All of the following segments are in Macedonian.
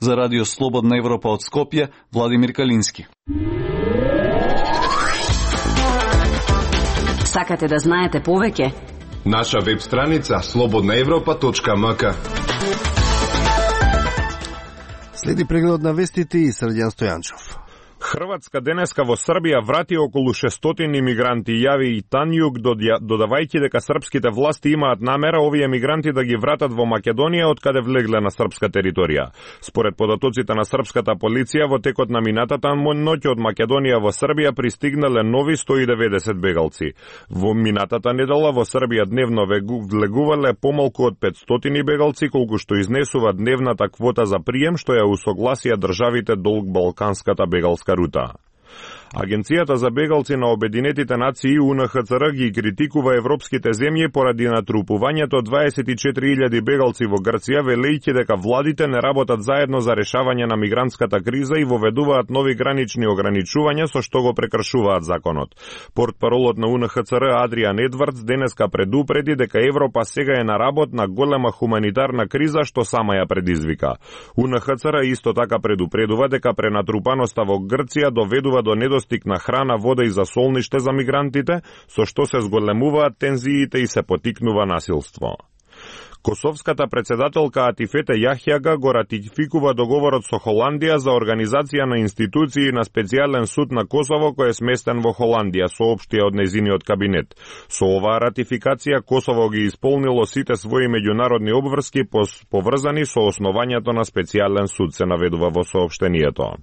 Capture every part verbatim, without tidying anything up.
За Радио Слободна Европа од Скопје, Владимир Калински. Сакате да знаете повеќе? Наша веб страница слободна европа точка ем ка. Следи преглед на вестите и Срđan Стојанчов. Хрватска денеска во Србија врати околу шестстотини мигранти, јави и Танјук, додавајќи дека српските власти имаат намера овие мигранти да ги вратат во Македонија од каде влегле на српска територија. Според податоците на српската полиција, во текот на минатата ноќ од Македонија во Србија пристигнале нови сто и деветдесет бегалци. Во минатата недела во Србија дневно влегувале помалку од петстотини бегалци, колку што изнесува дневната квота за прием, што ја усогласија државите долг Балканската бегалска рута. Агенцијата за бегалци на Обединетите нации У Н Х Ц Р ги критикува европските земји поради натрупувањето дваесет и четири илјади бегалци во Грција, велејќи дека владите не работат заедно за решавање на мигрантската криза и воведуваат нови гранични ограничувања со што го прекршуваат законот. Портпаролот на У Н Х Ц Р Адриан Едвардс денеска предупреди дека Европа сега е на работ на голема хуманитарна криза што сама ја предизвика. У Н Х Ц Р исто така предупредува дека пренатрупаноста во Грција доведува до недостиг на храна, вода и засолниште за мигрантите, со што се зголемуваат тензиите и се потикнува насилство. Косовската председателка Атифете Јахјага го ратификува договорот со Холандија за организација на институции на специјален суд на Косово кој е сместен во Холандија, соопштија од нејзиниот кабинет. Со оваа ратификација Косово ги исполнило сите своји меѓународни обврски поврзани со основањето на специјален суд, се наведува во соопштението.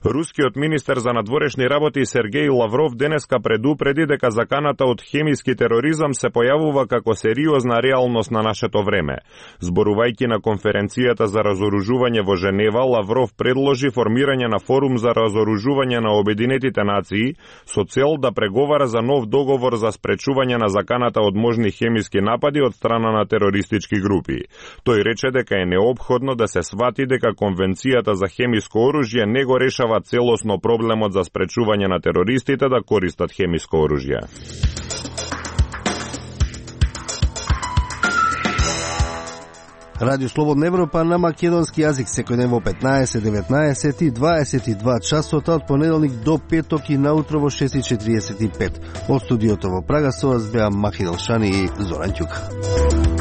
Рускиот министер за надворешни работи Сергеј Лавров денеска предупреди дека заканата од хемиски тероризам се појавува како сериозна реалност на нашето време. Зборувајќи на конференцијата за разоружување во Женева, Лавров предложи формирање на форум за разоружување на Обединетите нации со цел да преговара за нов договор за спречување на заканата од можни хемиски напади од страна на терористички групи. Тој рече дека е неопходно да се свати дека Конвенцијата за хемиско оружје не го решава целосно проблемот за спречување на терористите да користат хемиско оружје. Радио Слободна Европа на македонски јазик секој ден во петнаесет, деветнаесет и дваесет и два часота од понеделник до петок и наутро во шест и четириесет и пет. Од студиото во Прага со вас беа Махи Делшани и Зоран Ќука.